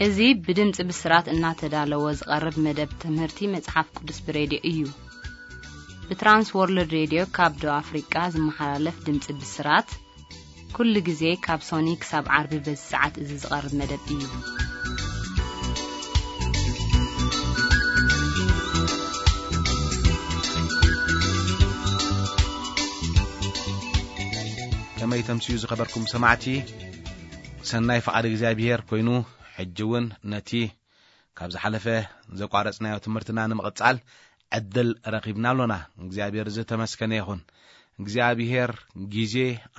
እዚ ብድምፂ ብስራት እናተዳለወ ዝቐርብ መደብ ትምህርቲ መጽሓፍ ቅዱስ ብሬድዮ እዩ። ብትራንስ ወርልድ ሬድዮ ካብ ደቡብ ኣፍሪቃ ዝመሓላለፍ ድምፂ ብስራት፣ ኩሉ ግዜ ካብ ሶኒ ክሳብ ዓርቢ በዚ ሰዓት እዚ ዝቐርብ መደብ እዩ። ከመይ ተምስዩ ዝኸበርኩም ሰማዕቲ፣ ሰናይ ፍቓድ እግዚኣብሔር ኮይኑ፣ ሕጂ እውን ነቲ ካብ ዝሓለፈ ዘቋረጽናዮ ትምህርትና ንምቕጻል ዕድል ረኺብና ኣሎና። እግዚኣብሔር ዝተመስገነ ይኹን። እግዚኣብሔር ግዜ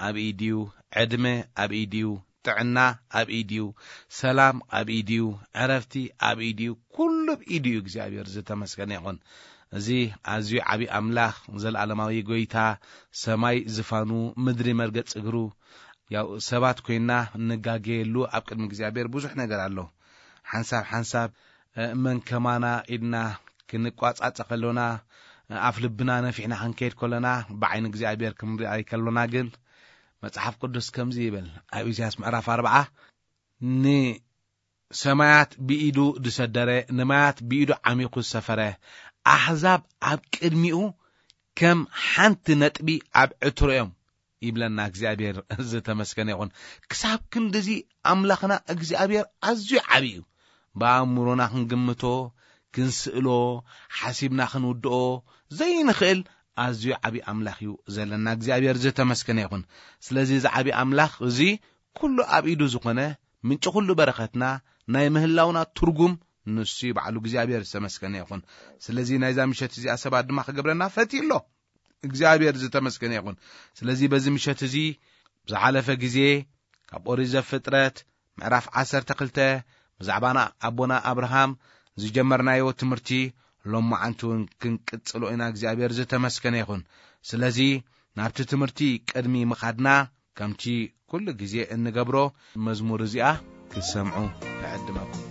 ኣብ ኢድዩ፣ ዕድመ ኣብ ኢድዩ፣ ጥዕና ኣብ ኢድዩ፣ ሰላም ኣብ ኢድዩ፣ ዕረፍቲ ኣብ ኢድዩ፣ ኩሉ ኣብ ኢድዩ እግዚኣብሔር ዝተመስገነ ይኹን። እዚ ኣዝዩ ዓቢ ኣምላኽ፣ ዘለኣለማዊ ጎይታ፣ ሰማይ ዝፋኑ፣ ምድሪ መርገጽ እግሩ፣ ያው ሰባት ኮይና እንጋገየሉ ኣብ ቅድሚ እግዚኣብሔር ብዙሕ ነገር ኣሎ። ሓንሳብ ሓንሳብ፣ እ፣ መን ከማና ኢድና ክንቋጻጸ ከሎና፣ እ፣ ኣፍ ልብና ነፊሕና ክንከይድ ከሎና፣ ብዓይኒ እግዚኣብሔር ክንርኢ ከሎና ግን፣ መጽሓፍ ቅዱስ ከምዚ ይብል፣ ኣብ ኢሳያስ ምዕራፍ ኣርብዓ፣ "ንሰማያት ብኢዱ ዝሰደረ፣ ንማያት ብኢዱ ዓሚኹ ዝሰፈረ፣ ኣሕዛብ ኣብ ቅድሚኡ ከም ሓንቲ ነጥቢ ኣብ ዕትሮ'ዮም" ይብለና እግዚኣብሔር። ዝተመስገነ ይኹን። ክሳብ ክንድዚ ኣምላኽና እግዚኣብሔር ኣዝዩ ዓቢ እዩ። ብኣእምሮና ክንግምቶ፣ ክንስእሎ፣ ሓሲብና ክንውድኦ ዘይንኽእል ኣዝዩ ዓቢ ኣምላኽ እዩ ዘለና። እግዚኣብሔር ዝተመስገነ ይኹን። ስለዚ እዚ ዓቢ ኣምላኽ እዚ ኩሉ ኣብ ኢዱ ዝኾነ፣ ምንጪ ኩሉ በረኸትና፣ ናይ ምህላውና ትርጉም ንሱ እዩ ባዕሉ። እግዚኣብሔር ዝተመስገነ ይኹን። ስለዚ ናይዛ ምሸት እዚኣ ሰባት ድማ ክገብረና ፈትዩ ኣሎ። እግዚኣብሔር ዝተመስገነ ይኹን። ስለዚ በዚ ምሸት እዚ ዝሓለፈ ግዜ ካብ ኦሪት ዘፍጥረት ምዕራፍ ዓሰርተ ክልተ ብዛዕባ ና-፣ ኣቦና ኣብርሃም ዝጀመርናዮ ትምህርቲ ሎማዓንቲ እውን ክንቅጽሎ ኢና። እግዚኣብሔር ዝተመስገነ ይኹን። ስለዚ ናብቲ ትምህርቲ ቅድሚ ምኻድና ከምቲ ኩሉ ግዜ እንገብሮ መዝሙር እዚኣ ክትሰምዑ እዕድመኩም።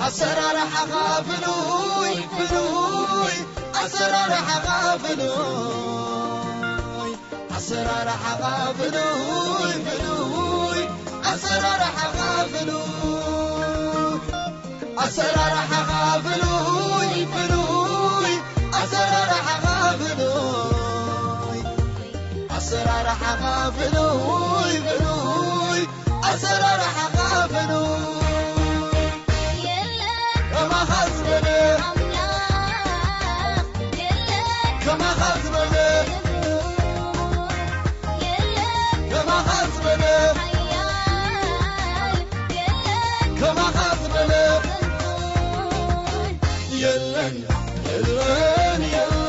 ኣሰራርሓኻ ፍሉይ ፍሉይ፣ ኣሰራርሓኻ ፍሉይ፣ ኣሰራርሓኻ ፍሉይ ፍሉይ፣ ኣሰራርሓኻ ፍሉይ፣ ኣሰራርሓኻ ፍሉይ ፍሉይ፣ ኣሰራርሓኻ ፍሉይ፣ ኣሰራርሓኻ ፍሉይ ፍሉይ፣ ኣሰራርሓኻ ፍሉይ። የለን ከማኻ ዝበለ ኣምላኽ፣ የለን ከማኻ ዝበለ፣ የለን ከማኻ ዝበለ ሓያል፣ የለን ከማኻ ዝበለ የለን፣ የለን፣ የለን፣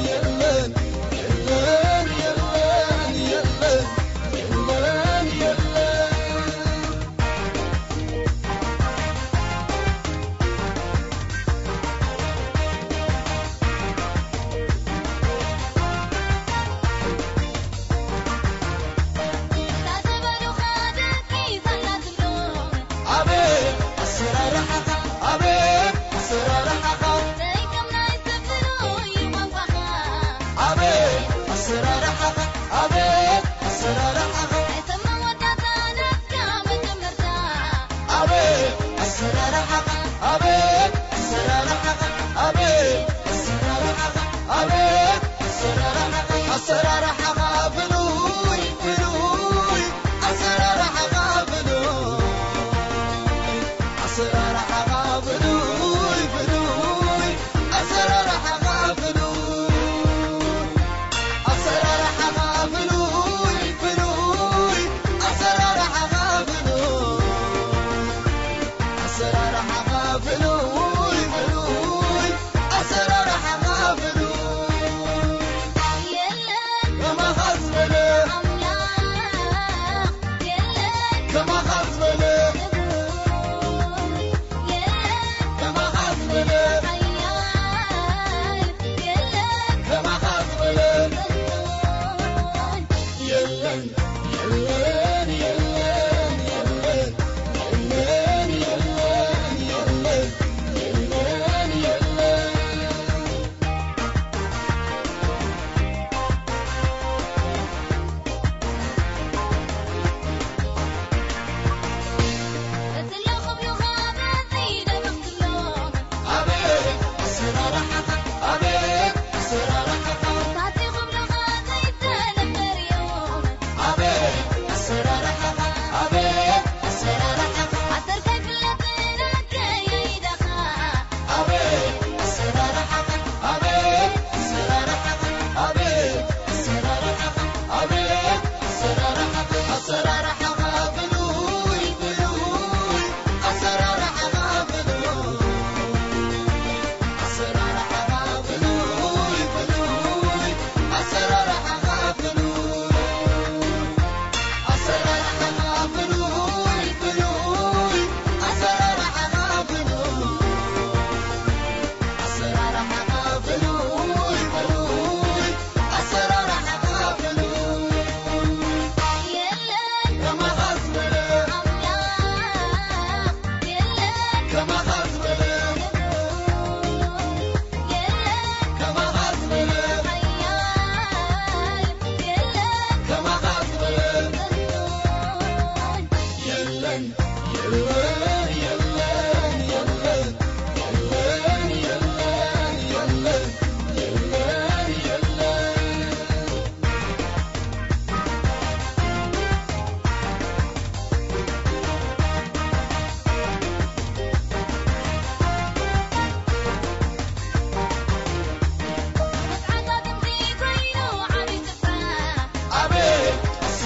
የለን፣ የለን፣ የለን፣ የለን፣ የለን። ኣቤት ኣሰራርሓኻ፣ ኣቤት ኣሰራርሓኻ፣ ዘይከም ናይ ሰብ ፍሉይ ቋንቋኻ። ኣቤት ኣሰራርሓኻ፣ ኣቤት ኣሰራርሓኻ፣ ኣይሰማ መወዳእታ ናትካ መጀመርታ። ኣቤት ኣሰራርሓኻ፣ ኣቤት ኣሰራርሓኻ፣ ኣቤት ኣሰራርሓኻ፣ ኣቤት ኣሰራርሓኻ፣ ኣሰራርሓኻ ፍሉይ ፍሉይ፣ ኣሰራርሓኻ ፍሉይ፣ ኣሰራርሓኻ ፍሉይ ፍሉይ፣ ኣሰራርሓኻ ፍሉይ፣ ኣሰራርሓኻ ፍሉይ ፍሉይ፣ ኣሰራርሓኻ ፍሉይ፣ ኣሰራርሓኻ ፍሉይ ፍሉይ፣ ኣሰራርሓኻ ፍሉይ። የለን ከማኻ ዝበለ ኣምላኽ፣ የለን ከማኻ ዝበለ፣ የለን ከማኻ ዝበለ ሓያል፣ የለን ከማኻ ዝበለ። የለን፣ የለን፣ የለን፣ የለን፣ የለን፣ የለን፣ የለን፣ የለን፣ የለን።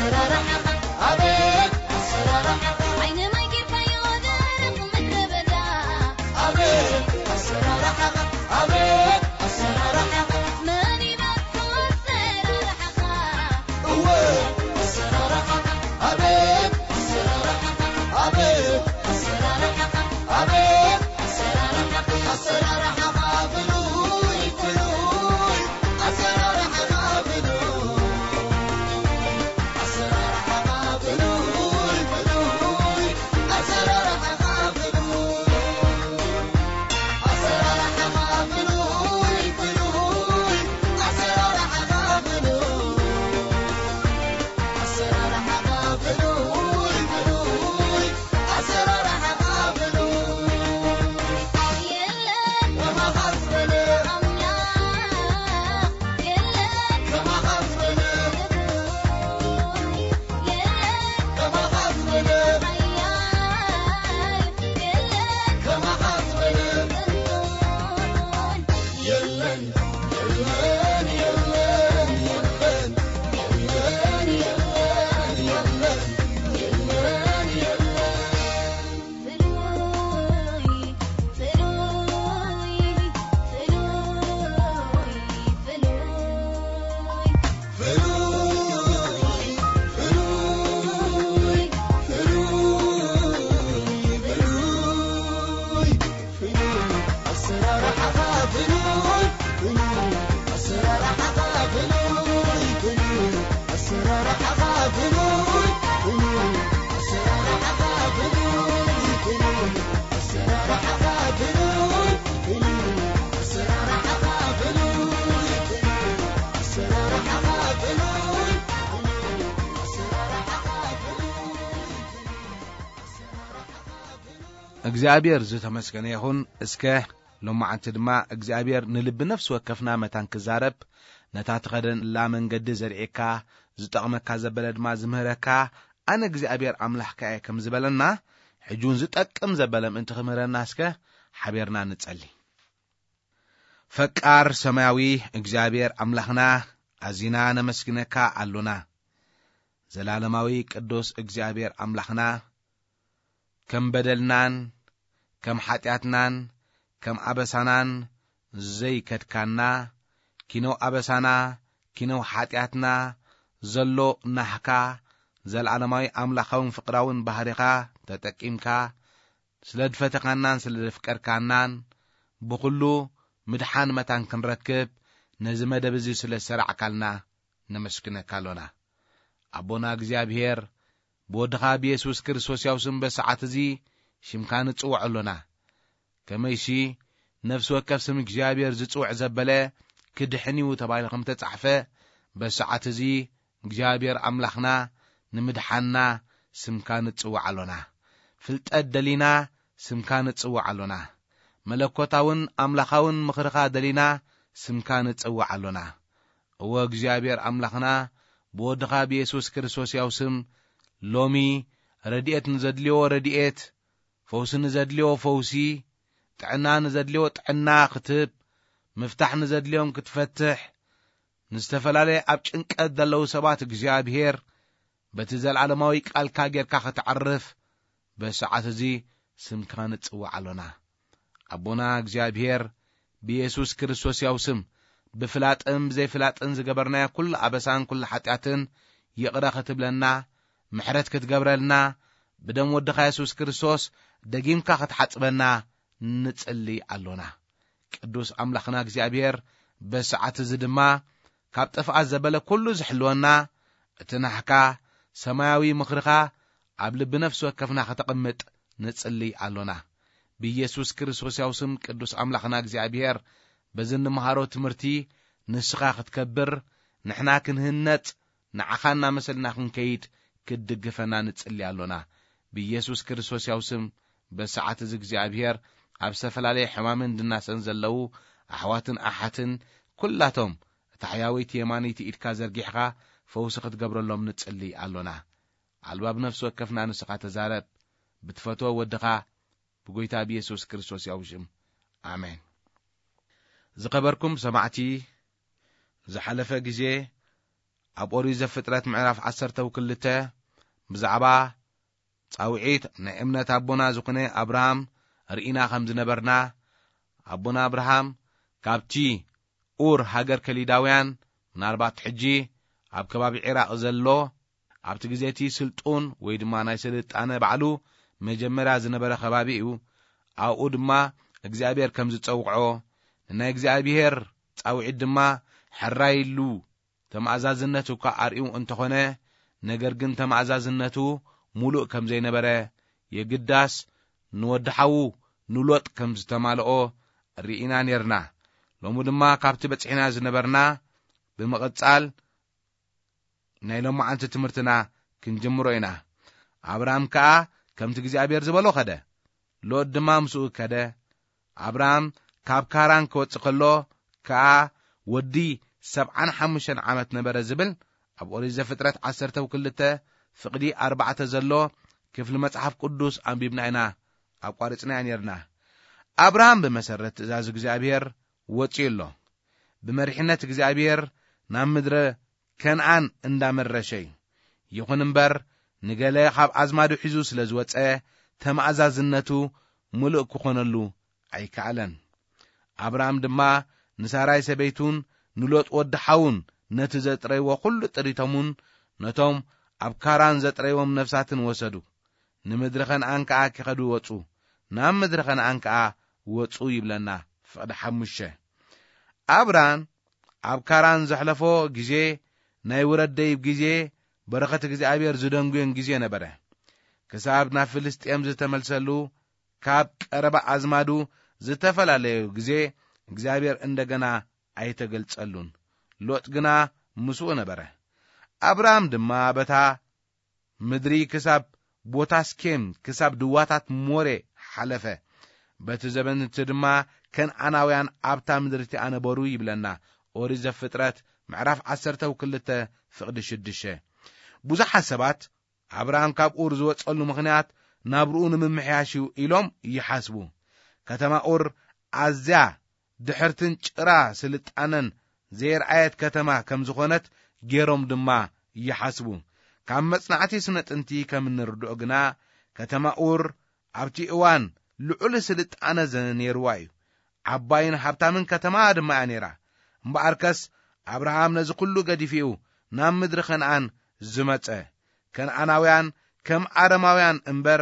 ኣሰራርሓኻ፣ ኣቤት ኣሰራርሓኻ፣ ዓይኒ ማይ ጌርካዮ ደረቕ ምድረ በዳ። ኣቤት ኣሰራርሓኻ፣ ኣቤት ኣሰራርሓኻ፣ መን ይበልዖ ኣሰራርሓኻ? እወ ኣሰራርሓኻ፣ ኣቤት ኣሰራርሓኻ፣ ኣቤት ኣሰራርሓኻ፣ ኣቤት ኣሰራርሓኻ፣ ኣሰራርሓኻ ፍሉይ ፍሉይ፣ ኣሰራርሓኻ ፍሉይ፣ ኣሰራርሓኻ ፍሉይ ፍሉይ፣ ኣሰራርሓኻ ፍሉይ፣ ኣሰራርሓኻ ፍሉይ ፍሉይ፣ ኣሰራርሓኻ ፍሉይ፣ ኣሰራርሓኻ ፍሉይ ፍሉይ፣ ኣሰራርሓኻ ፍሉይ። የለን ከማኻ ዝበለ ኣምላኽ፣ የለን ከማኻ ዝበለ፣ የለን ከማኻ ዝበለ ሓያል፣ የለን ከማኻ ዝበለ ጥንቱን። የለን የለን የለን የለን የለን የለን የለን የለን የለን። ፍሉይ ፍሉይ ፍሉይ ፍሉይ ፍሉይ ፍሉይ ፍሉይ ፍሉይ ፍሉይ ኣሰራርሓኻ ፍሉይ ፍሉይ ኣሰራርሓኻ ፍሉይ ፍሉይ ኣሰራርሓኻ ፍሉይ ፍሉይ ኣሰራርሓኻ ፍሉይ ፍሉይ ኣሰራርሓኻ ፍሉይ ፍሉይ ኣሰራርሓኻ ፍሉይ ፍሉይ ኣሰራርሓኻ ፍሉይ ፍሉይ ኣሰራርሓኻ ፍሉይ ፍሉይ ኣሰራርሓኻ ፍሉይ። እግዚኣብሔር ዝተመስገነ ይኹን። እስከ ሎማዓንቲ ድማ እግዚኣብሔር ንልቢ ነፍሲ ወከፍና መታን ክዛረብ፣ ነታ ትኸደላ መንገዲ ዘርእየካ፣ ዝጠቕመካ ዘበለ ድማ ዝምህረካ፣ ኣነ እግዚኣብሔር ኣምላኽካ እየ ከም ዝበለና፣ ሕጂ እውን ዝጠቅም ዘበለ ምእንቲ ክምህረና እስከ ሓቢርና ንጸሊ። ፈቃር ሰማያዊ እግዚኣብሔር ኣምላኽና፣ ኣዚና ነመስግነካ ኣሎና። ዘላለማዊ ቅዱስ እግዚኣብሔር ኣምላኽና፣ ከም በደልናን ከም ሓጢኣትናን ከም ኣበሳናን ዘይከድካና፣ ኪነው ኣበሳና ኪነው ሓጢኣትና ዘሎ ናህካ፣ ዘላለማዊ ኣምላኻውን ፍቕራውን ባህሪኻ ተጠቂምካ፣ ስለ ዝፈተኻናን ስለ ዘፍቀርካናን፣ ብኹሉ ምድሓን መታን ክንረክብ፣ ነዚ መደብ እዚ ስለ ዝሰራዕካልና ነመስግነካ ኣሎና። ኣቦና እግዚኣብሔር፣ ብወድኻ ብየሱስ ክርስቶስ ያው ስም በሰዓት እዚ ሽምካ ንጽውዕ ኣሎና። ከመይሲ ነፍሲ ወከፍ ስም እግዚኣብሔር ዝጽውዕ ዘበለ ክድሕን እዩ ተባሂሉ ከም ተጻሕፈ፣ በሰዓት እዚ እግዚኣብሔር ኣምላኽና ንምድሓንና ስምካ ንጽውዕ ኣሎና። ፍልጠት ደሊና ስምካ ንጽውዕ ኣሎና። መለኮታውን ኣምላኻውን ምኽርኻ ደሊና ስምካ ንጽውዕ ኣሎና። እወ እግዚኣብሔር ኣምላኽና፣ ብወድኻ ብየሱስ ክርስቶስ ያው ስም ሎሚ ረድኤት ንዘድልዮ ረድኤት፣ ፈውሲ ንዘድልዮ ፈውሲ፣ ጥዕና ንዘድልዮ ጥዕና ክትህብ፣ ምፍታሕ ንዘድልዮም ክትፈትሕ፣ ንዝተፈላለየ ኣብ ጭንቀት ዘለዉ ሰባት እግዚኣብሔር በቲ ዘለዓለማዊ ቃልካ ጌርካ ከተዕርፍ በሰዓት እዚ ስምካ ንጽውዕ ኣሎና። ኣቦና እግዚኣብሔር ብየሱስ ክርስቶስ ያው ስም ብፍላጥን ብዘይፍላጥን ዝገበርናዮ ኩሉ ኣበሳን ኩሉ ሓጢኣትን ይቕረ ክትብለና፣ ምሕረት ክትገብረልና፣ ብደም ወድኻ የሱስ ክርስቶስ ደጊምካ ክትሓጽበና ንጽሊ ኣሎና። ቅዱስ ኣምላኽና እግዚኣብሔር በሰዓት እዚ ድማ ካብ ጥፍኣት ዘበለ ኩሉ ዝሕልወና እቲ ናህካ ሰማያዊ ምኽርኻ ኣብ ልቢ ነፍሲ ወከፍና ከተቐምጥ ንጽሊ ኣሎና። ብኢየሱስ ክርስቶስ ያው ስም ቅዱስ ኣምላኽና እግዚኣብሔር በዚ እንመሃሮ ትምህርቲ ንስኻ ክትከብር፣ ንሕና ክንህነጽ፣ ንዓኻ እናመሰልና ክንከይድ ክትድግፈና ንጽሊ ኣሎና። ብኢየሱስ ክርስቶስ ያው ስም በሰዓት እዚ እግዚኣብሔር ኣብ ዝተፈላለየ ሕማምን ድናሰን ዘለዉ ኣሕዋትን ኣሓትን ኩላቶም እታ ሕያወይቲ የማነይቲ ኢድካ ዘርጊሕኻ ፈውሲ ክትገብረሎም ንጽሊ ኣሎና። ኣልባብ ነፍሲ ወከፍና ንስኻ ተዛረብ፣ ብትፈትዎ ወድኻ ብጎይታ ብየሱስ ክርስቶስ ያው ሽም። ኣሜን። ዝኸበርኩም ሰማዕቲ፣ ዝሓለፈ ግዜ ኣብ ኦሪት ዘፍጥረት ምዕራፍ ዓሰርተ ክልተ ብዛዕባ ጻውዒት ናይ እምነት ኣቦና ዝኾነ ኣብርሃም ርኢና ከም ዝነበርና፣ ኣቦና ኣብርሃም ካብቲ ኡር ሃገር ከሊዳውያን፣ ምናልባት ሕጂ ኣብ ከባቢ ዒራቕ ዘሎ፣ ኣብቲ ግዜ እቲ ስልጡን ወይ ድማ ናይ ስልጣነ ባዕሉ መጀመርያ ዝነበረ ከባቢ እዩ። ኣብኡ ድማ እግዚኣብሔር ከም ዝጸውዖ፣ ንናይ እግዚኣብሔር ጻውዒት ድማ ሕራይ ኢሉ ተማእዛዝነት እኳ ኣርእዩ እንተኾነ፣ ነገር ግን ተማእዛዝነቱ ሙሉእ ከም ዘይነበረ፣ የግዳስ ንወዲ ሓዉ ንሎጥ ከም ዝተማልኦ ርኢና ኔርና። ሎሚ ድማ ካብቲ በጺሕና ዝነበርና ብምቕጻል ናይ ሎማዓንቲ ትምህርትና ክንጅምሮ ኢና። ኣብርሃም ከኣ ከምቲ እግዚኣብሔር ዝበሎ ኸደ፣ ሎጥ ድማ ምስኡ ከደ። ኣብርሃም ካብ ካራን ክወጽእ ከሎ ከኣ ወዲ ሰብዓን ሓሙሽተን ዓመት ነበረ ዝብል ኣብ ኦሪት ዘፍጥረት ዓሰርተ ክልተ ፍቕዲ ኣርባዕተ ዘሎ ክፍሊ መጽሓፍ ቅዱስ ኣንቢብና ኢና ኣቋሪጽናዮ ኔርና። ኣብርሃም ብመሰረት ትእዛዝ እግዚኣብሔር ወጺኡ ኣሎ። ብመሪሕነት እግዚኣብሔር ናብ ምድረ ከነኣን እንዳመረሸ እዩ። ይኹን እምበር፣ ንገለ ካብ ኣዝማዱ ሒዙ ስለ ዝወጸ፣ ተማእዛዝነቱ ምሉእ ክኾነሉ ኣይከኣለን። ኣብርሃም ድማ ንሳራይ ሰበይቱን ንሎጥ ወዲ ሓዉን ነቲ ዘጥረይዎ ኩሉ ጥሪቶምን ነቶም ኣብ ካራን ዘጥረይዎም ነፍሳትን ወሰዱ። ንምድሪ ከነኣን ከኣ ኪኸዱ ወጹ። ናብ ምድሪ ከነኣን ከኣ ወጹ ይብለና ፍቕዲ ሓሙሽተ። ኣብራን ኣብ ካራን ዘሕለፎ ግዜ ናይ ውረድ ደይብ ግዜ፣ በረኸት እግዚኣብሔር ዝደንጉዮን ግዜ ነበረ። ክሳብ ናብ ፍልስጤም ዝተመልሰሉ፣ ካብ ቀረባ ኣዝማዱ ዝተፈላለዮ ግዜ እግዚኣብሔር እንደገና ኣይተገልጸሉን። ሎጥ ግና ምስኡ ነበረ። ኣብርሃም ድማ በታ ምድሪ ክሳብ ቦታ ስኬም፣ ክሳብ ድዋታት ሞሬ ሓለፈ። በቲ ዘበን እቲ ድማ ከነኣናውያን ኣብታ ምድሪ እቲኣ ነበሩ ይብለና ኦሪት ዘፍጥረት ምዕራፍ ዓሰርተ ክልተ ፍቕዲ ሽዱሽተ። ብዙሓት ሰባት ኣብርሃም ካብ ኡር ዝወጸሉ ምኽንያት ናብርኡ ንምምሕያሽ እዩ ኢሎም ይሓስቡ። ከተማ ኡር ኣዝያ ድሕርትን ጭራ ስልጣነን ዘየርኣየት ከተማ ከም ዝኾነት ገይሮም ድማ ይሓስቡ። ካብ መጽናዕቲ ስነ ጥንቲ ከም እንርድኦ ግና፣ ከተማ ኡር ኣብቲ እዋን ልዑል ስልጣነ ዘ-፣ ነይርዋ እዩ። ዓባይን ሃብታምን ከተማ ድማ እያ ነይራ። እምበኣርከስ ኣብርሃም ነዚ ኩሉ ገዲፉ እዩ ናብ ምድሪ ከነኣን ዝመጸ። ከነኣናውያን ከም ኣረማውያን እምበር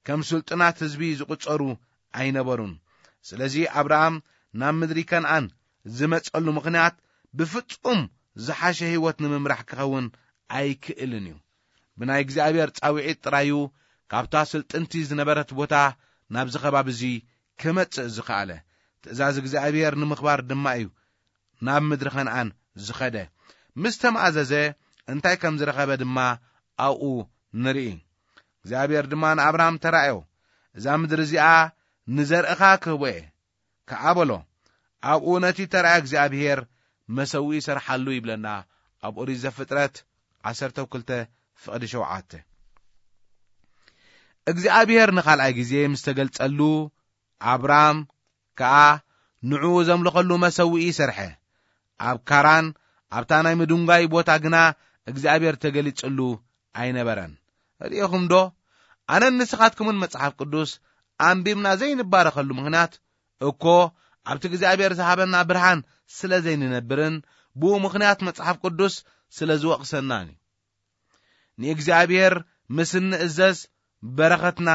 ከም ስልጡናት ህዝቢ ዝቑጸሩ ኣይነበሩን። ስለዚ ኣብርሃም ናብ ምድሪ ከነኣን ዝመጸሉ ምኽንያት ብፍጹም ዝሓሸ ህይወት ንምምራሕ ክኸውን ኣይክእልን እዩ። ብናይ እግዚኣብሔር ጻውዒት ጥራዩ ካብታ ስልጥንቲ ዝነበረት ቦታ ናብዚ ከባቢ እዚ ክመጽእ ዝኸኣለ። ትእዛዝ እግዚኣብሔር ንምኽባር ድማ እዩ ናብ ምድሪ ከነኣን ዝኸደ። ምስ ተማእዘዘ እንታይ ከም ዝረኸበ ድማ ኣብኡ ንርኢ። እግዚኣብሔር ድማ ንኣብርሃም ተራእዮ፣ "እዛ ምድሪ እዚኣ ንዘርእኻ ክህቦ እየ" ከኣ በሎ። ኣብኡ ነቲ ተራእዮ እግዚኣብሔር መሰውኢ ይሰርሓሉ ይብለና ኣብ ኦሪት ዘፍጥረት ዓሰርተ ክልተ ፍቕዲ ሸውዓተ። እግዚኣብሔር ንኻልኣይ ግዜ ምስ ተገልጸሉ ኣብራም ከኣ ንዕኡ ዘምልኸሉ መሰውኢ ሰርሐ። ኣብ ካራን ኣብታ ናይ ምድንጓይ ቦታ ግና እግዚኣብሔር ተገሊጽሉ ኣይነበረን። ርኢኹም ዶ? ኣነን ንስኻትኩምን መጽሓፍ ቅዱስ ኣንቢብና ዘይንባረኸሉ ምኽንያት እኮ ኣብቲ እግዚኣብሔር ዝሃበና ብርሃን ስለ ዘይንነብርን ብኡ ምኽንያት መጽሓፍ ቅዱስ ስለ ዝወቕሰናን እዩ። ንእግዚኣብሔር ምስ እንእዘዝ በረኸትና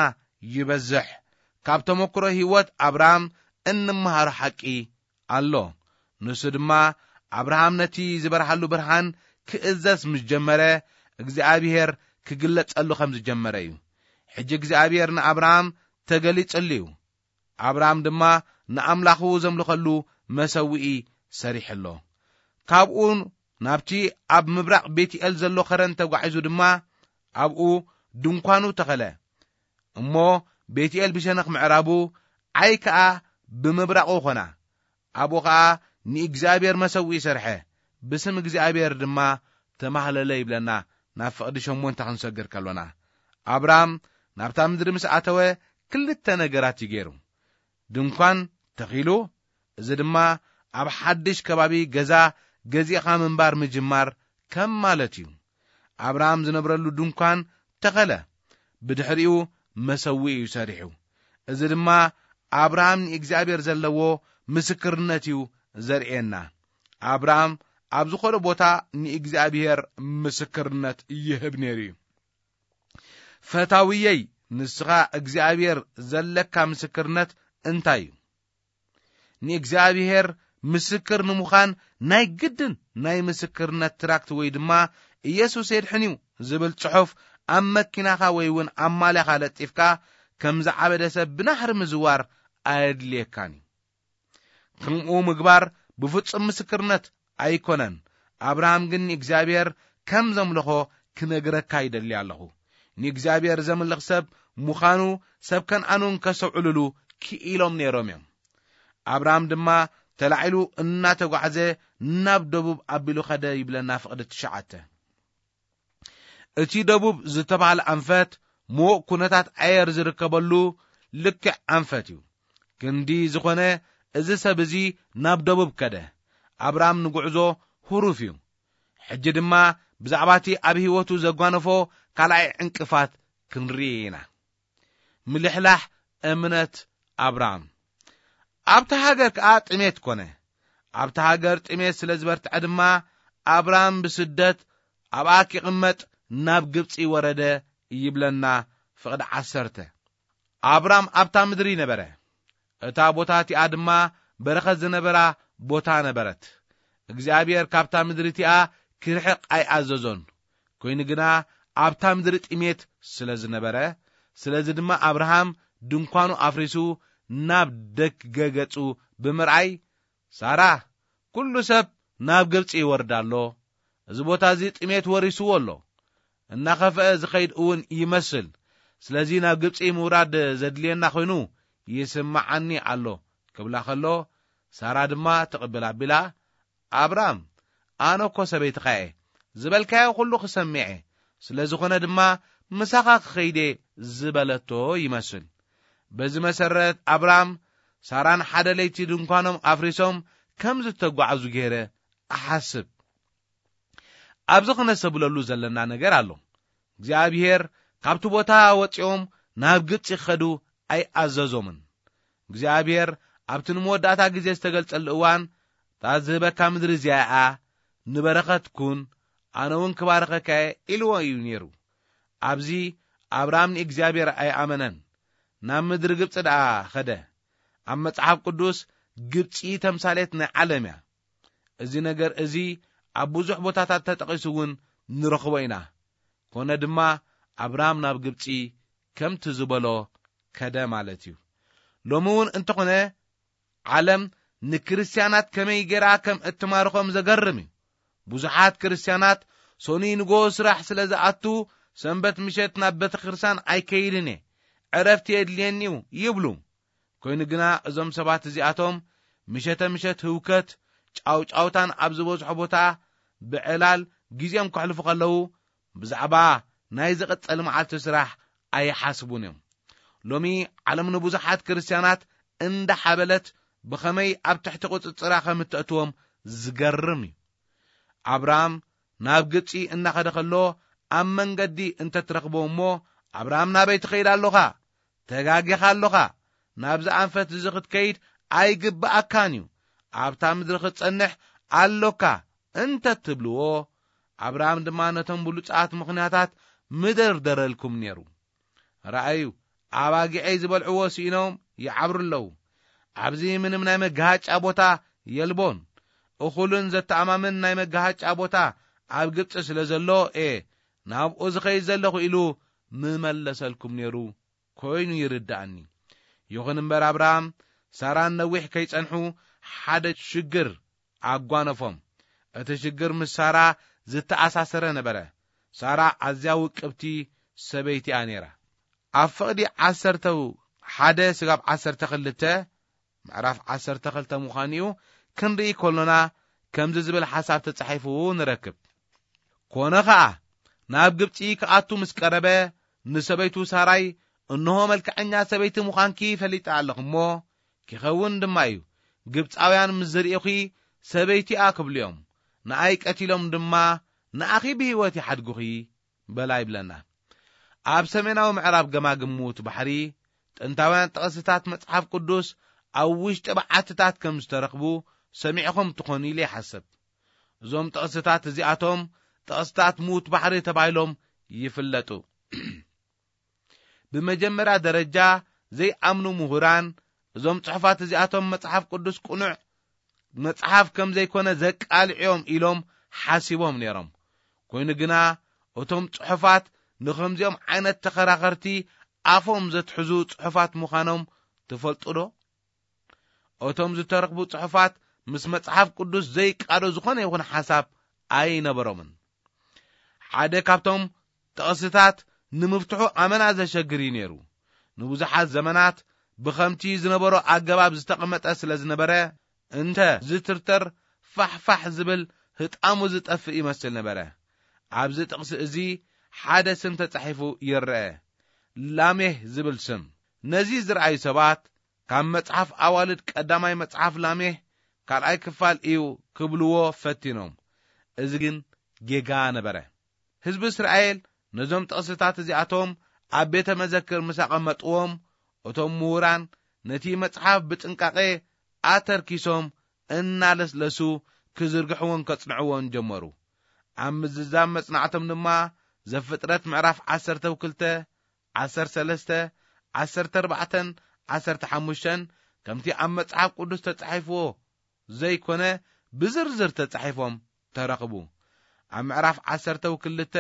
ይበዝሕ። ካብ ተመክሮ ህይወት ኣብርሃም እንመሃሮ ሓቂ ኣሎ። ንሱ ድማ ኣብርሃም ነቲ ዝበርሃሉ ብርሃን ክእዘዝ ምስ ጀመረ እግዚኣብሔር ክግለጸሉ ከም ዝጀመረ እዩ። ሕጂ እግዚኣብሔር ንኣብርሃም ተገሊጽሉ እዩ። ኣብርሃም ድማ ንኣምላኹ ዘምልኸሉ መሰውኢ ሰሪሑ ኣሎ። ካብኡ ናብቲ ኣብ ምብራቕ ቤትኤል ዘሎ ኸረን ተጓዒዙ ድማ ኣብኡ ድንኳኑ ተኸለ። እሞ ቤትኤል ብሸነኽ ምዕራቡ፣ ዓይ ከኣ ብምብራቑ ኾና። ኣብኡ ኸኣ ንእግዚኣብሔር መሰውኢ ሰርሐ፣ ብስም እግዚኣብሔር ድማ ተማህለለ ይብለና። ናብ ፍቕዲ ሸሞንተ ክንሰግር ከሎና፣ ኣብራም ናብታ ምድሪ ምስ ኣተወ ክልተ ነገራት እዩ ገይሩ። ድንኳን ተኺሉ፣ እዚ ድማ ኣብ ሓድሽ ከባቢ ገዛ ገዚእኻ ምንባር ምጅማር ከም ማለት እዩ። ኣብርሃም ዝነብረሉ ድንኳን ተኸለ። ብድሕሪኡ መሰውኢ እዩ ሰሪሑ። እዚ ድማ ኣብርሃም ንእግዚኣብሔር ዘለዎ ምስክርነት እዩ ዘርእየና። ኣብርሃም ኣብ ዝኾነ ቦታ ንእግዚኣብሔር ምስክርነት ይህብ ነይሩ እዩ። ፈታውየይ፣ ንስኻ እግዚኣብሔር ዘለካ ምስክርነት እንታይ እዩ? ንእግዚኣብሔር ምስክር ንምዃን ናይ ግድን ናይ ምስክርነት ትራክት ወይ ድማ ኢየሱስ የድሕን እዩ ዝብል ጽሑፍ ኣብ መኪናኻ ወይ እውን ኣብ ማልያኻ ለጢፍካ ከም ዝዓበደ ሰብ ብናህሪ ምዝዋር ኣየድልየካን እዩ። ከምኡ ምግባር ብፍጹም ምስክርነት ኣይኮነን። ኣብርሃም ግን ንእግዚኣብሔር ከም ዘምለኾ ክነግረካ ይደሊ ኣለኹ። ንእግዚኣብሔር ዘምልኽ ሰብ ምዃኑ ሰብ ከነኣን እውን ከስተውዕልሉ ክኢሎም ነይሮም እዮም። ኣብርሃም ድማ ተላዒሉ እናተጓዕዘ ናብ ደቡብ ኣቢሉ ኸደ ይብለና ፍቕዲ ትሽዓተ። እቲ ደቡብ ዝተባህለ ኣንፈት ምዉቕ ኩነታት ኣየር ዝርከበሉ ልክዕ ኣንፈት እዩ። ክንዲ ዝኾነ እዚ ሰብ እዚ ናብ ደቡብ ከደ። ኣብርሃም ንጉዕዞ ህሩፍ እዩ። ሕጂ ድማ ብዛዕባ እቲ ኣብ ህይወቱ ዘጓነፎ ካልኣይ ዕንቅፋት ክንርኢ ኢና። ምልሕላሕ እምነት ኣብርሃም። ኣብታ ሃገር ከኣ ጥሜት ኮነ። ኣብታ ሃገር ጥሜት ስለ ዝበርትዐ ድማ ኣብርሃም ብስደት ኣብኣ ኪቕመጥ ናብ ግብጺ ወረደ ይብለና ፍቕዲ ዓሰርተ። ኣብራም ኣብታ ምድሪ ነበረ። እታ ቦታ እቲኣ ድማ በረኸት ዝነበራ ቦታ ነበረት። እግዚኣብሔር ካብታ ምድሪ እቲኣ ክርሕቕ ኣይኣዘዞን። ኮይኑ ግና ኣብታ ምድሪ ጥሜት ስለ ዝነበረ፣ ስለዚ ድማ ኣብርሃም ድንኳኑ ኣፍሪሱ ናብ ደገ ገጹ ብምርኣይ፣ ሳራ፣ ኩሉ ሰብ ናብ ግብጺ ይወርድ ኣሎ፣ እዚ ቦታ እዚ ጥሜት ወሪስዎ ኣሎ፣ እናኸፍአ ዝኸይድ እውን ይመስል፣ ስለዚ ናብ ግብጺ ምውራድ ዘድልየና ኮይኑ ይስምዓኒ ኣሎ ክብላ ከሎ፣ ሳራ ድማ ትቕብል ኣቢላ፣ ኣብራም፣ ኣነ እኮ ሰበይትኻ እየ፣ ዝበልካዮ ኩሉ ክሰምዕ እየ፣ ስለ ዝኾነ ድማ ምሳኻ ክኸይድ እየ ዝበለቶ ይመስል። በዚ መሰረት ኣብራም ሳራን ሓደ ለይቲ ድንኳኖም ኣፍሪሶም ከም ዝተጓዕዙ ገይረ እሓስብ። ኣብዚ ክነስተብለሉ ዘለና ነገር ኣሎ። እግዚኣብሔር ካብቲ ቦታ ወጺኦም ናብ ግብጺ ክኸዱ ኣይኣዘዞምን። እግዚኣብሔር ኣብቲ ንመወዳእታ ግዜ ዝተገልጸሉ እዋን፣ እታ ዝህበካ ምድሪ እዚኣ እያ፣ ንበረኸት ኩን፣ ኣነ እውን ክባርኸካ እየ ኢልዎ እዩ ነይሩ። ኣብዚ ኣብርሃም ንእግዚኣብሔር ኣይኣመነን። ናብ ምድሪ ግብጺ ደኣ ኸደ። ኣብ መጽሓፍ ቅዱስ ግብጺ ተምሳሌት ናይ ዓለም እያ። እዚ ነገር እዚ ኣብ ብዙሕ ቦታታት ተጠቒሱ እውን ንረኽቦ ኢና። ኮነ ድማ ኣብርሃም ናብ ግብጺ ከምቲ ዝበሎ ከደ ማለት እዩ። ሎሚ እውን እንተኾነ ዓለም ንክርስትያናት ከመይ ገይራ ከም እትማርኾም ዘገርም እዩ። ብዙሓት ክርስትያናት ሰኑይ ንጎ ስራሕ ስለ ዝኣቱ ሰንበት ምሸት ናብ ቤተ ክርስቲያን ኣይከይድን እየ፣ ዕረፍቲ የድልየኒ እዩ ይብሉ። ኮይኑ ግና እዞም ሰባት እዚኣቶም ምሸተ ምሸት ህውከት ጫውጫውታን ኣብ ዝበዝሖ ቦታ ብዕላል ግዜኦም ከሕልፉ ከለዉ ብዛዕባ ናይ ዝቕጸል መዓልቲ ስራሕ ኣይሓስቡን እዮም። ሎሚ ዓለም ንብዙሓት ክርስትያናት እንዳሓበለት ብኸመይ ኣብ ትሕቲ ቁጽጽራ ከም እተእትዎም ዝገርም እዩ። ኣብርሃም ናብ ግብጺ እናኸደ ከሎ ኣብ መንገዲ እንተትረኽቦ እሞ፣ ኣብርሃም ናበይ ትኸይድ ኣሎኻ? ተጋጊኻ ኣሎኻ። ናብዚ ኣንፈት እዚ ክትከይድ ኣይግብኣካን እዩ። ኣብታ ምድሪ ክትጸንሕ ኣሎካ እንተ ትብልዎ፣ ኣብርሃም ድማ ነቶም ብሉጻት ምኽንያታት ምደርደረልኩም ነይሩ። ረኣዩ፣ ኣባጊዐይ ዝበልዕዎ ስኢኖም ይዓብሩ ኣለዉ። ኣብዚ ምንም ናይ መጋሃጫ ቦታ የልቦን። እኹልን ዘተኣማምን ናይ መጋሃጫ ቦታ ኣብ ግብጺ ስለ ዘሎ እየ ናብኡ ዝኸይድ ዘለኹ ኢሉ ምመለሰልኩም ነይሩ ኮይኑ ይርድኣኒ። ይኹን እምበር ኣብርሃም ሳራን ነዊሕ ከይጸንሑ ሓደ ሽግር ኣጓነፎም። እቲ ሽግር ምስ ሳራ ዝተኣሳሰረ ነበረ። ሳራ ኣዝያ ውቅብቲ ሰበይቲ እያ ነይራ። ኣብ ፍቕዲ ዓሰርተ ሓደ ስጋብ ዓሰርተ ክልተ፣ ምዕራፍ ዓሰርተ ክልተ ምዃኑ እዩ፣ ክንርኢ ከሎና ከምዚ ዝብል ሓሳብ ተጻሒፉ ንረክብ። ኮነ ኸኣ ናብ ግብጺ ክኣቱ ምስ ቀረበ ንሰበይቱ ሳራይ፣ "እንሆ መልክዐኛ ሰበይቲ ምዃንኪ ፈሊጠ ኣለኹ እሞ፣ ኪኸውን ድማ እዩ። ግብጻውያን ምስ ዝርእዩኺ ሰበይቲ እያ ክብሉ እዮም፣ ንኣይ ቀቲሎም ድማ ንኣኺ ብህይወት ይሓድጉኺ በላ ይብለና። ኣብ ሰሜናዊ ምዕራብ ገማግም ምዉት ባሕሪ፣ ጥንታውያን ጥቕስታት መጽሓፍ ቅዱስ ኣብ ውሽጢ በዓትታት ከም ዝተረኽቡ ሰሚዕኹም ትኾኑ ኢለ ይሓስብ። እዞም ጥቕስታት እዚኣቶም ጥቕስታት ምዉት ባሕሪ ተባሂሎም ይፍለጡ። ብመጀመርያ ደረጃ ዘይኣምኑ ምሁራን እዞም ጽሑፋት እዚኣቶም መጽሓፍ ቅዱስ ቅኑዕ መጽሓፍ ከም ዘይኮነ ዘቃልዕ እዮም ኢሎም ሓሲቦም ነይሮም። ኮይኑ ግና እቶም ጽሑፋት ንኸምዚኦም ዓይነት ተኸራኸርቲ ኣፎም ዘትሕዙ ጽሑፋት ምዃኖም ትፈልጡ ዶ? እቶም ዝተረኽቡ ጽሑፋት ምስ መጽሓፍ ቅዱስ ዘይቃዶ ዝኾነ ይኹን ሓሳብ ኣይነበሮምን። ሓደ ካብቶም ጥቕስታት ንምፍትሑ ኣመና ዘሸግር እዩ ነይሩ። ንብዙሓት ዘመናት ብኸምቲ ዝነበሮ ኣገባብ ዝተቐመጠ ስለ ዝነበረ፣ እንተ ዝትርተር ፋሕፋሕ ዝብል ህጣሙ ዝጠፍእ ይመስል ነበረ። ኣብዚ ጥቕሲ እዚ ሓደ ስም ተጻሒፉ ይረአ፣ ላሜህ ዝብል ስም። ነዚ ዝረኣዩ ሰባት ካብ መጽሓፍ ኣዋልድ ቀዳማይ መጽሓፍ ላሜህ ካልኣይ ክፋል እዩ ክብልዎ ፈቲኖም። እዚ ግን ጌጋ ነበረ። ህዝቢ እስራኤል ነዞም ጥቕስታት እዚኣቶም ኣብ ቤተ መዘክር ምስ ኣቐመጥዎም፣ እቶም ምሁራን ነቲ መጽሓፍ ብጥንቃቄ ኣተርኪሶም እናለስለሱ ክዝርግሕዎን ከጽንዕዎን ጀመሩ። ኣብ ምዝዛም መጽናዕቶም ድማ ዘፍጥረት ምዕራፍ ዓሰርተ ክልተ፣ ዓሰርተ ሰለስተ፣ ዓሰርተ ኣርባዕተን ዓሰርተ ሓሙሽተን ከምቲ ኣብ መጽሓፍ ቅዱስ ተጻሒፍዎ ዘይኮነ ብዝርዝር ተጻሒፎም ተረኽቡ። ኣብ ምዕራፍ ዓሰርተ ክልተ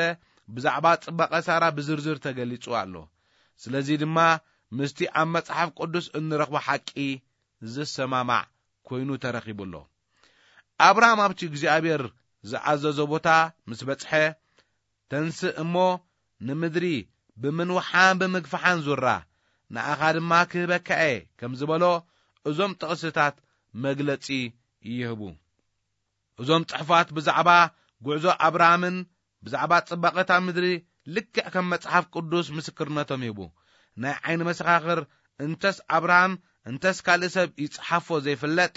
ብዛዕባ ጽባቐ ሳራ ብዝርዝር ተገሊጹ ኣሎ። ስለዚ ድማ ምስቲ ኣብ መጽሓፍ ቅዱስ እንረኽቦ ሓቂ ዝሰማማዕ ኮይኑ ተረኺቡ ኣሎ። ኣብርሃም ኣብቲ እግዚኣብሔር ዝኣዘዞ ቦታ ምስ በጽሐ፣ "ተንስእ እሞ ንምድሪ ብምንውሓን ብምግፍሓን ዙራ፣ ንኣኻ ድማ ክህበካ እየ" ከም ዝበሎ እዞም ጥቕስታት መግለጺ ይህቡ። እዞም ጽሑፋት ብዛዕባ ጉዕዞ ኣብርሃምን ብዛዕባ ጽባቐ እታ ምድሪ ልክዕ ከም መጽሓፍ ቅዱስ ምስክርነቶም ይህቡ። ናይ ዓይኒ መሰኻኽር እንተስ ኣብርሃም እንተስ ካልእ ሰብ ይጽሓፎ ዘይፍለጥ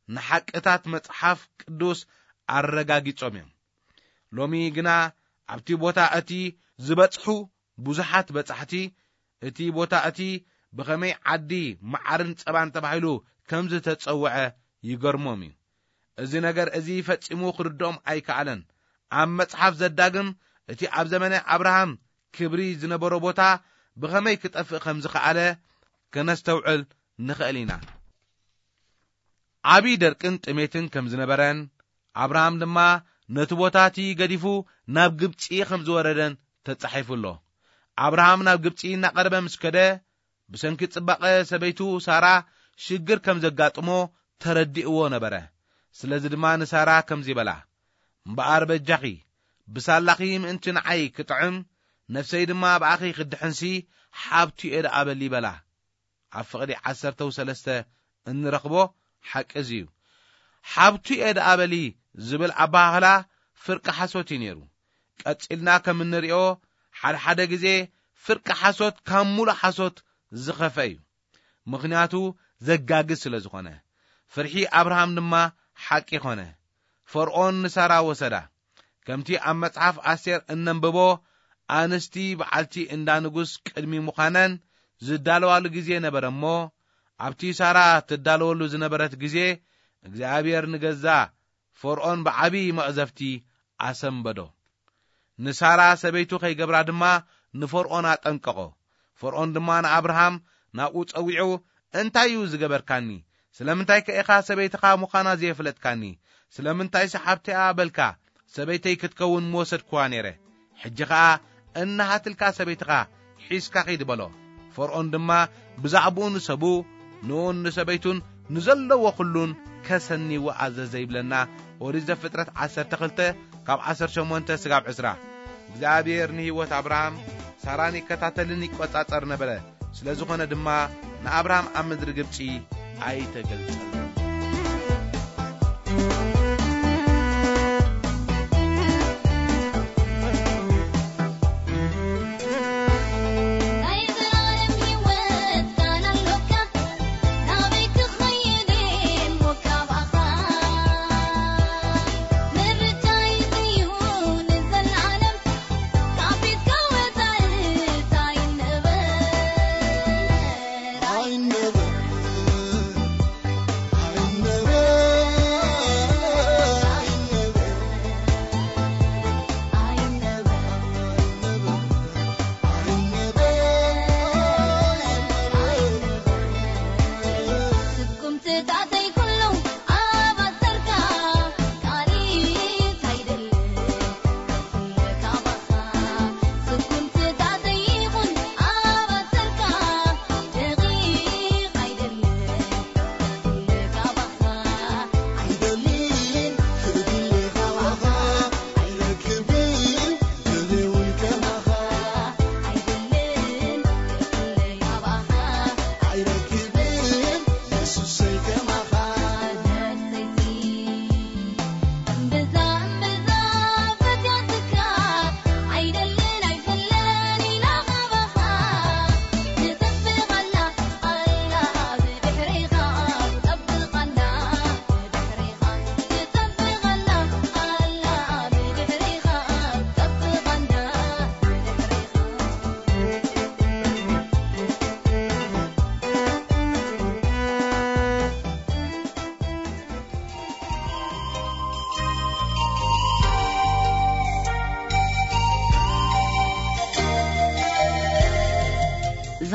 ንሓቅታት መጽሓፍ ቅዱስ ኣረጋጊጾም እዮም። ሎሚ ግና ኣብቲ ቦታ እቲ ዝበጽሑ ብዙሓት በጻሕቲ፣ እቲ ቦታ እቲ ብኸመይ ዓዲ መዓርን ጸባን ተባሂሉ ከም ዝተጸውዐ ይገርሞም እዩ። እዚ ነገር እዚ ፈጺሙ ክርድኦም ኣይከኣለን። ኣብ መጽሓፍ ዘዳግም እቲ ኣብ ዘመነ ኣብርሃም ክብሪ ዝነበሮ ቦታ ብኸመይ ክጠፍእ ከም ዝኸኣለ ከነስተውዕል ንኽእል ኢና። ዓቢ ደርቅን ጥሜትን ከም ዝነበረን፣ ኣብርሃም ድማ ነቲ ቦታ እቲ ገዲፉ ናብ ግብጺ ከም ዝወረደን ተጻሒፉ ኣሎ። ኣብርሃም ናብ ግብጺ እናቐረበ ምስ ከደ፣ ብሰንኪ ጽባቐ ሰበይቱ ሳራ ሽግር ከም ዘጋጥሞ ተረዲእዎ ነበረ። ስለዚ ድማ ንሳራ ከምዚ በላ፣ "እምበኣር በጃኺ፣ ብሳላኺ ምእንቲ ንዓይ ክጥዕም፣ ነፍሰይ ድማ ብኣኺ ክድሕንሲ፣ ሓብቱ እየ ደኣ በሊ" በላ። ኣብ ፍቕዲ ዓሰርተ ሰለስተ እንረኽቦ ሓቂ እዚ እዩ። "ሓብቱ እየ ደኣ በሊ" ዝብል ኣበሃህላ ፍርቂ ሓሶት እዩ ነይሩ። ቀጺልና ከም እንሪኦ፣ ሓደ ሓደ ግዜ ፍርቂ ሓሶት ካብ ሙሉእ ሓሶት ዝኸፍአ እዩ። ምኽንያቱ ዘጋግዝ ስለ ዝኾነ። ፍርሒ ኣብርሃም ድማ ሓቂ ኾነ። ፈርዖን ንሳራ ወሰዳ። ከምቲ ኣብ መጽሓፍ ኣስቴር እነንብቦ፣ ኣንስቲ በዓልቲ እንዳ ንጉስ ቅድሚ ምዃነን ዝዳለዋሉ ግዜ ነበረ እሞ፣ ኣብቲ ሳራ ትዳለወሉ ዝነበረት ግዜ፣ እግዚኣብሔር ንገዛ ፈርዖን ብዓቢ መቕዘፍቲ ኣሰንበዶ። ንሳራ ሰበይቱ ከይገብራ ድማ ንፈርዖን ኣጠንቀቖ። ፈርዖን ድማ ንኣብርሃም ናብኡ ጸዊዑ፣ "እንታይ እዩ ዝገበርካኒ? ስለምንታይ ከ ኢኻ ሰበይትኻ ምዃና ዘየፍለጥካኒ? ስለምንታይስ ሓብተያ በልካ? ሰበይተይ ክትከውን ምወሰድክዋ ነይረ። ሕጂ ኸኣ እንሃትልካ ሰበይትኻ ሒዝካ ኺድ" በሎ። ፈርዖን ድማ ብዛዕባኡ ንሰቡ፣ ንኡን ንሰበይቱን ንዘለዎ ኹሉን ከሰንይዎ ኣዘዘ ይብለና ኦሪት ዘፍጥረት ዓሰርተ ክልተ ካብ ዓሰርተ ሸሞንተ ስጋብ ዕስራ። እግዚኣብሔር ንህይወት ኣብርሃም ሳራን ይከታተልን ይቆጻጸር ነበረ። ስለ ዝኾነ ድማ ንኣብርሃም ኣብ ምድሪ ግብጺ ኣይተገልጸሉን። ናይ ዘላለም ህይወት ቃል ኣሎካ፣ ናበይ ክኸይድ እሞ ካባኻ? ምርጫይ እዩ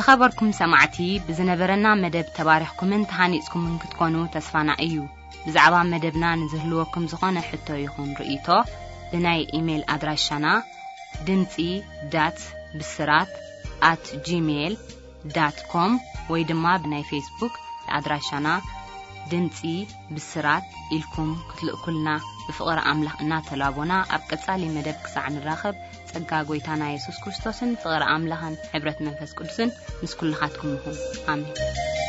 ዝኸበርኩም ሰማዕቲ፣ ብዝነበረና መደብ ተባሪኽኩምን ተሃኒጽኩምን ክትኮኑ ተስፋና እዩ። ብዛዕባ መደብና ንዝህልወኩም ዝኾነ ሕቶ ይኹን ርእይቶ፣ ብናይ ኢሜይል ኣድራሻና ድምጺ ዳት ብስራት ኣት ጂሜይል ዳት ኮም ወይ ድማ ብናይ ፌስቡክ ኣድራሻና ድምጺ ብስራት ኢልኩም ክትልእኩልና ብፍቕሪ ኣምላኽ እናተላቦና፣ ኣብ ቀጻሊ መደብ ክሳዕ ንራኸብ፣ ጸጋ ጎይታና የሱስ ክርስቶስን ፍቕሪ ኣምላኽን ሕብረት መንፈስ ቅዱስን ምስ ኩልኻትኩም ይኹን። ኣሜን።